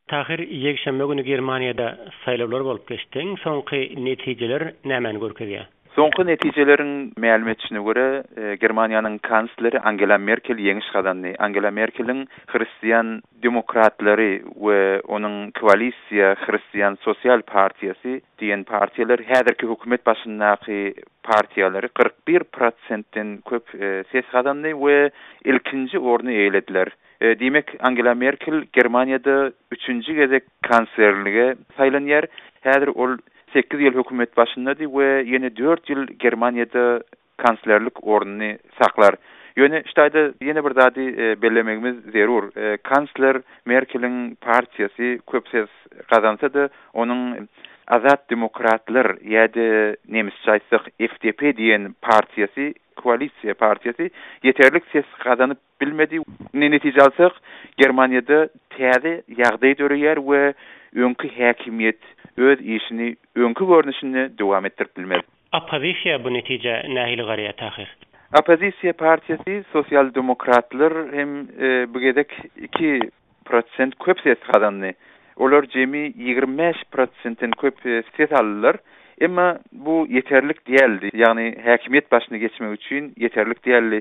Tahyr, ýekşenbe güni Germaniýada saýlawlar bolup geçdi. Iň soňky netijeler nämäni görkezýär? Soňky netijeleriň mälim edişine görä, Germaniýanyň kansleri Angela Merkel ýeňiş gazandy. Angela Merkeliň Hristian demokratlary we onuň koalisiýa Hristian sosial partiýasy diýen partiýalar häzirki hökümet başyndaky partiýalary 41 prosentden köp ses gazandy we ilkinji orny eýelediler. Diýmek, Angela Merkel Germaniýada üçünji gezek kanslerlige saýlanýar. Häzir ol sekiz ýyl hökümet başyndady we ýene dört ýyl Germaniýada kanslerlik ornuny saklar. Ýöne şu taýda ýene bir zady bellemegimiz zerur. Kansler Merkeliň partiýasy köp ses gazansa-da, onuň Azat demokratlar ýa-da nemisçe aýtsak FDP diýen partiýasy, koalisiýa partiýasy ýeterlik ses gazanyp bilmedi. Indi netije alsak, Germaniýada täze ýagdaý döreýär we öňki häkimiýet öz işini öňki görnüşinde dowam etdirip bilmez. Oppozisiýa bu netijä nähili garaýar, Tahyr? Oppozisiýa partiýasy Sosial-demokratlar hem bu gezek iki prosent köp ses gazandy. Olar jemi 25 prosentden köp ses aldylar. Emma bu ýeterlik däldi, ýagny häkimiýet başyna geçmek üçin ýeterlik däldi.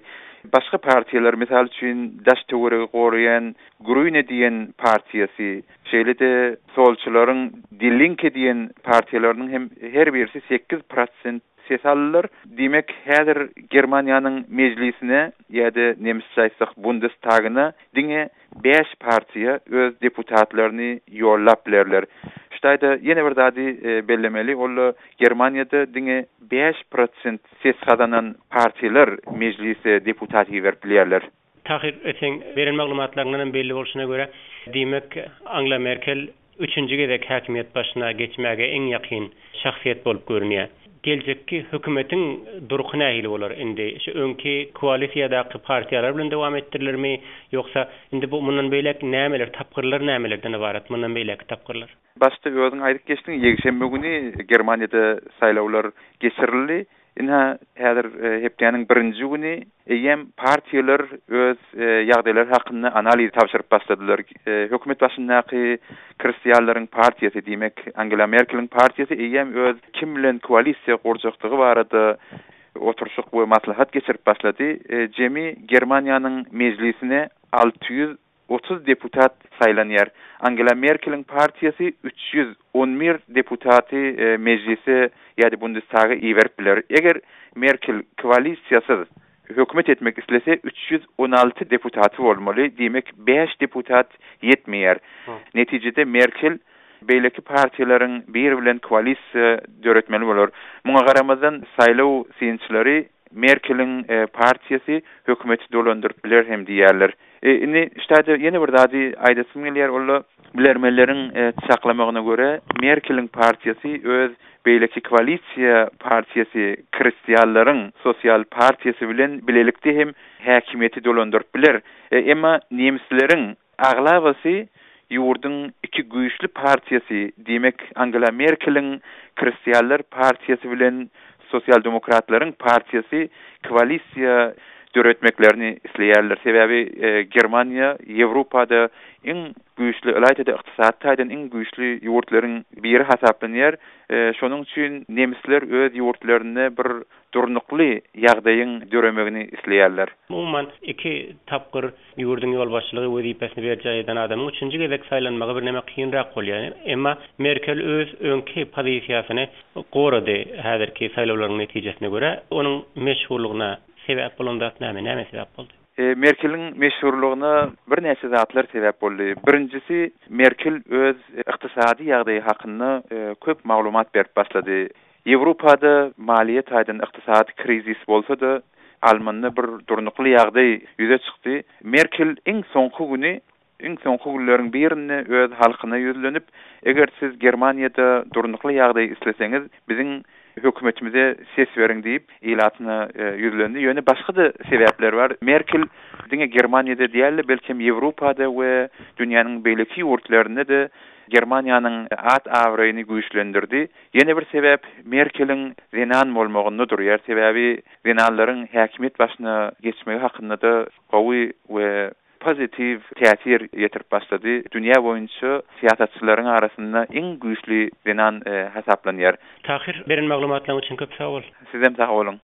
Başga partiýalar, mysal üçin, daş-töweregi goraýan Grüne diýen partiýasy, şeýle-de solçylaryň Die Linke diýen partiýalarynyň hem her birisi 8 prosent ses aldylar. Diýmek, häzir Germaniýanyň mejlisine ýa-da nemisçe aýtsak Bundestagyna diňe bäş partiýa öz deputatlaryny ýollap bilerler. Şu taýda ýene bir zady bellemeli, ol-da Germaniýada diňe 5 prosent ses gazanan partiýalar mejlise deputat iberip bilýärler. Tahyr, seň beren maglumatlaryňdan hem belli bolşuna görä, diýmek, Angela Merkel üçünji gezek häkimiýet başyna geçmäge iň ýakyn şahsyýet bolup görünýär. Geljekki hökümetiň durky nähili bolar indi? Şu öňki koalisiýadaky partiýalar bilen dowam etdirilermi, ýogsa indi bu mundan beýläk nämeler, tapgyrlar nämelerden ybarat, mundan beýläkki tapgyrlar? Başda özüň aýdyp geçdiň, ýekşenbe güni Germaniýada saýlawlar geçirildi. Ynha, häzir hepdäniň birinji güni eýýäm partiýalar öz ýagdaýlary hakynda analiz tabşyryp başladylar. Hökümet başyndaky Hristianlaryň partiýasy, diýmek, Angela Merkeliň partiýasy eýýäm öz kim bilen koalisiýa gurjakdygy barada oturyşyk we maslahat geçirip başlady. Jemi Germaniýanyň mejlisine 630 deputat saýlanýar. Angela Merkeliň partiýasy 311 deputaty mejlise ýa-da Bundestaga iberip biler. Eger Merkel koalisiýasyz hökümet etmek islese, 316 deputaty bolmaly, diýmek, bäş deputat ýetmeýär. Netijede Merkel beýleki partiýalaryň biri bilen koalisiýa döretmeli bolar. Muňa garamazdan, saýlaw synçylary Merkeliň partiýasy hökümeti dolandyryp biler hem diýýärler. Indi şu taýda ýene bir zady aýdasym gelýär, ol-da bilermenleriň çaklamagyna görä, Merkeliň partiýasy öz beýleki koalisiýa partiýasy Hristianlaryň sosial partiýasy bilen bilelikde hem häkimiýeti dolandyryp biler. Emma nemisleriň aglabasy ýurduň iki güýçli partiýasy, diýmek, Angela Merkeliň Hristianlar partiýasy bilen Sosial-demokratlaryň partiýasy koalisiýa döretmeklerini isleýärler. Sebäbi Germaniýa Ýewropada iň güýçli, ylaýta-da ykdysady taýdan iň güýçli ýurtlaryň biri hasaplanýar. Şonuň üçin nemisler öz ýurtlarynda bir durnukly ýagdaýyň döremegini isleýärler. Umuman, iki tapgyr ýurduň ýolbaşçylygy wezipesini berjaý eden adamyň üçünji gezek saýlanmagy birneme kynrak bolýar. Emma Merkel öz öňki pozisiýasyny gorady, häzirki saýlawlaryň netijesine görä, onuň meşhurlygyna sebäp bolan zat näme? Näme sebäp boldy? Merkeliň meşhurlygyna birnäçe zatlar sebäp boldy. Birinjisi, Merkel öz ykdysady ýagdaýy hakynda köp maglumat berip başlady. Ýewropada maliýe taýdan ykdysady krizis bolsa-da, Almanda bir durnukly ýagdaý ýüze çykdy. Merkel iň soňky güni, iň soňky günleriň birinde öz halkyna ýüzlenip, Eger siz Germaniýada durnukly ýagdaý isleseňiz, biziň hökümetimize ses beriň diýip, ilatyna ýüzlendi. Ýöne başga-da sebäpler bar. Merkel diňe Germaniýada däl-de, belkem Ýewropada we dünýäniň beýleki ýurtlarynda-da Germaniýanyň at-abraýyny güýçlendirdi. Ýene bir sebäp Merkeliň zenan bolmagynda durýar, sebäbi zenanlaryň häkimiýet başyna geçmegi hakynda-da gowy we pozitiw täsir ýetirip başlady. Dünýä boýunça syýasatçylaryň arasynda iň güýçli zenan hasaplanýar. Tahyr, beren maglumatlaryň üçin köp sag bol. Sizem sag boluň.